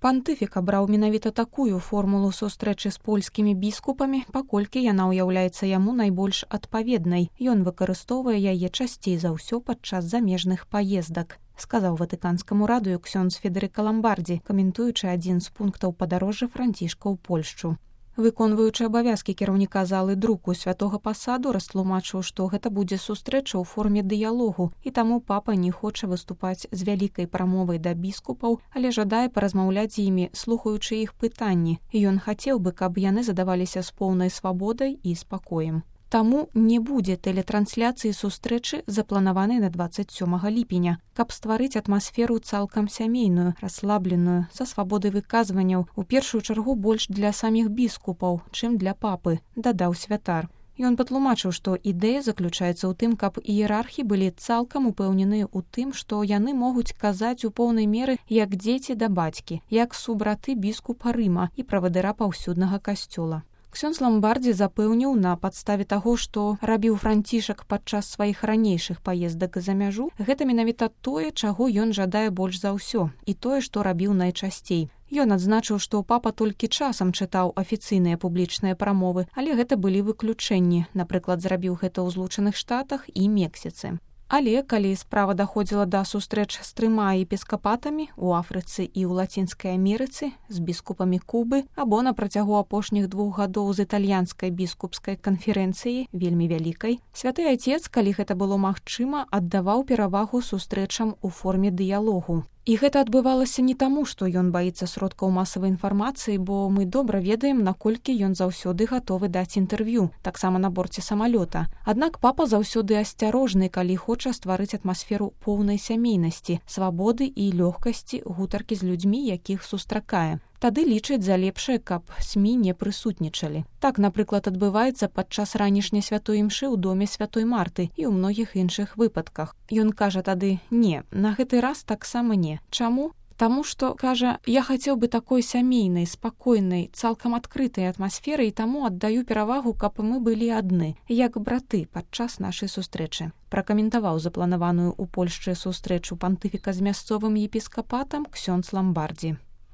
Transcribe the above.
Пантыфік абраў менавіта такую формулу сустрэчы з польскімі біскупамі, паколькі яна ўяўляецца яму найбольш адпаведнай. Ён выкарыстоўвае яе часцей за ўсё падчас замежных паездак, сказаў ватыканскаму радыё ксёндз Федэрыка Ламбардзі, каментуючы адзін з пунктаў падарожжа Францішка ў Польшчу. Выконваючы абавязкі кіраўніка залы друку святога пасаду растлумачыў, што гэта будзе сустрэча ў форме дыялогу, і таму папа не хоча выступаць з вялікай прамовай да біскупаў, але жадае паразмаўляць з імі, слухаючы іх пытанні. Ён хацеў бы, каб яны задаваліся з поўнай свабодай і спакоем. Таму не будзе тэлетрансляцыі сустрэчы, запланаванай на 27 ліпеня, каб стварыць атмасферу цалкам сямейную, расслабленую, са свабодай выказванняў, у першую чаргу больш для саміх біскупаў, чым для папы, дадаў святар. Ён патлумачыў, што ідэя заключаецца ў тым, каб іерархі былі цалкам упэўненыя ў тым, што яны могуць казаць у поўнай меры як дзеці да бацькі, як субраты біскупа Рыма і правадыра паўсюднага касцёла. Ксёндз Ламбардзі запэўніў, на падставе таго, што рабіў Францішак падчас сваіх ранейшых паездак за мяжу, гэта менавіта тое, чаго ён жадае больш за ўсё, і тое, што рабіў найчасцей. Ён адзначыў, што папа толькі часам чытаў афіцыйныя публічныя прамовы, але гэта былі выключэнні, напрыклад, зрабіў гэта ў Злучаных Штатах і Мексіцы. Але калі справа даходзіла да сустрэч з 3 епіскапатамі ў Афрыцы і ў Лацінскай Амерыцы, з біскупамі Кубы, або на працягу апошніх 2 гадоў з італьянскай біскупскай канферэнцыі, вельмі вялікай, святы айцец, калі гэта было магчыма, аддаваў перавагу сустрэчам у форме дыялогу. І гэта адбывалася не таму, што ён баіцца сродкаў масавай інфармацыі, бо мы добра ведаем, наколькі ён заўсёды гатовы даць інтэрв'ю, таксама на борце самалёта. Аднак папа заўсёды асцярожны, калі хоча стварыць атмасферу поўнай сямейнасці, свабоды і лёгкасці гутаркі з людзьмі, якіх сустракае. Тады лічыць за лепшае, каб СМІ не прысутнічалі. Так, напрыклад, адбываецца падчас ранішняй святой імшы ў доме святой Марты і ў многіх іншых выпадках. Ён кажа тады: «Не, на гэты раз таксама не». Чаму? Таму што, кажа, я хацеў бы такой сямейнай, спакойнай, цалкам адкрытай атмасферы, і таму аддаю перавагу, каб мы былі адны, як браты падчас нашай сустрэчы. Пракаментаваў запланаваную ў Польшчы сустрэчу пантыфіка з мясцовым епіскапатам ксёндз Ламбардзі.